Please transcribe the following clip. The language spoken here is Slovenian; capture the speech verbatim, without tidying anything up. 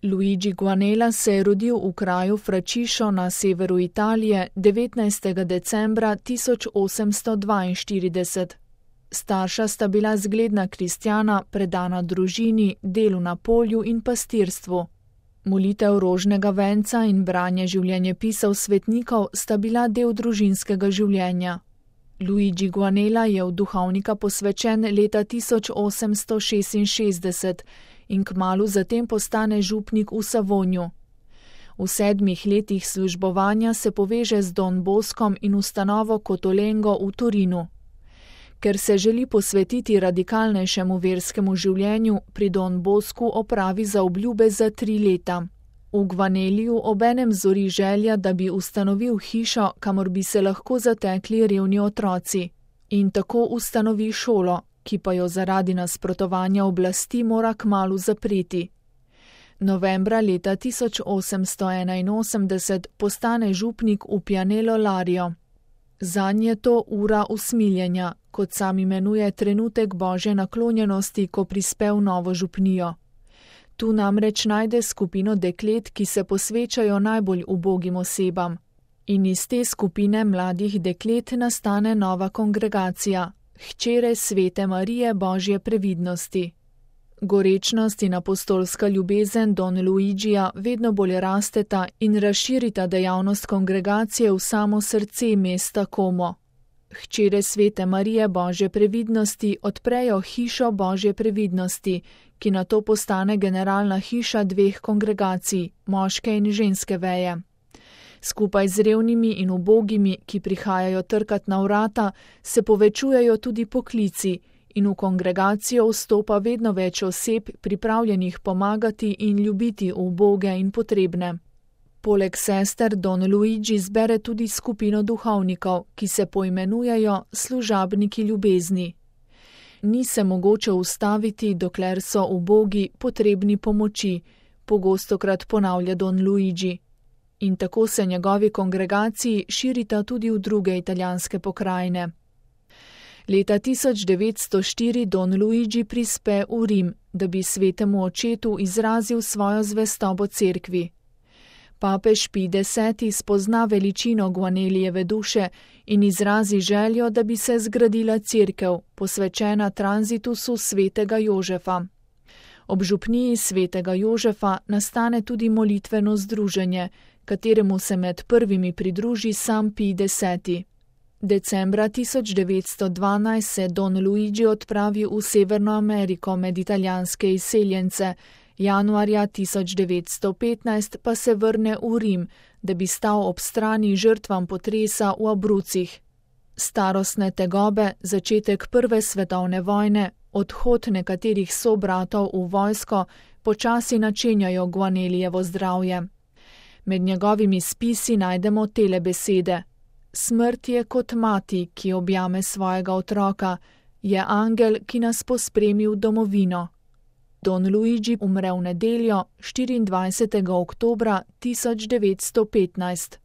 Luigi Guanella se je rodil v kraju Fraciscio na severu Italije devetnajstega decembra tisoč osemsto dvainštirideset. Starša sta bila zgledna kristjana, predana družini, delu na polju in pastirstvu. Molitev rožnega venca in branje življenjepisov svetnikov sta bila del družinskega življenja. Luigi Guanella je v duhovnika posvečen leta tisoč osemsto šestinšestdeset in kmalu zatem postane župnik v Savonju. V sedmih letih službovanja se poveže z Don Boscom in ustanovo Cotolengo v Torinu. Ker se želi posvetiti radikalnejšemu verskemu življenju, pri Don Boscu opravi zaobljube za tri leta. V Guanelliju obenem zori želja, da bi ustanovil hišo, kamor bi se lahko zatekli revni otroci, in tako ustanovi šolo, ki pa jo zaradi nasprotovanja oblasti mora kmalu zapreti. Novembra leta tisoč osemsto enainosemdeset postane župnik v Pianelo Lario. Zanj je to ura usmiljenja, kot sam imenuje trenutek božje naklonjenosti, ko prispe v novo župnijo. Tu namreč najde skupino deklet, ki se posvečajo najbolj ubogim osebam. In iz te skupine mladih deklet nastane nova kongregacija, hčere Svete Marije Božje previdnosti. Gorečnost in apostolska ljubezen Don Luigija vedno bolj rasteta in razširita dejavnost kongregacije v samo srce mesta Como. Hčere Svete Marije Božje previdnosti odprejo hišo Božje previdnosti, ki nato postane generalna hiša dveh kongregacij, moške in ženske veje. Skupaj z revnimi in ubogimi, ki prihajajo trkat na vrata, se povečujejo tudi poklici in v kongregacijo vstopa vedno več oseb, pripravljenih pomagati in ljubiti uboge in potrebne. Poleg sester Don Luigi zbere tudi skupino duhovnikov, ki se poimenujejo služabniki ljubezni. Ni se mogoče ustaviti, dokler so ubogi potrebni pomoči, pogostokrat ponavlja Don Luigi. In tako se njegovi kongregaciji širita tudi v druge italijanske pokrajine. Leta tisoč devetsto štiri Don Luigi prispe v Rim, da bi svetemu očetu izrazil svojo zvestobo cerkvi. Papež Pij deseti spozna veličino Guanellijeve duše in izrazi željo, da bi se zgradila cerkev, posvečena tranzitusu svetega Jožefa. Ob župniji svetega Jožefa nastane tudi molitveno združenje, kateremu se med prvimi pridruži sam Pij deseti. Decembra tisoč devetsto dvanajst se Don Luigi odpravi v Severno Ameriko med italijanske izseljence, januarja tisoč devetsto petnajst pa se vrne v Rim, da bi stal ob strani žrtvam potresa v Abrucih. Starostne tegobe, začetek prve svetovne vojne, odhod nekaterih sobratov v vojsko počasi načenjajo Guanellijevo zdravje. Med njegovimi spisi najdemo tele besede: smrt je kot mati, ki objame svojega otroka, je angel, ki nas pospremi v domovino. Don Luigi umre v nedeljo, štiriindvajsetega oktobra tisoč devetsto petnajst.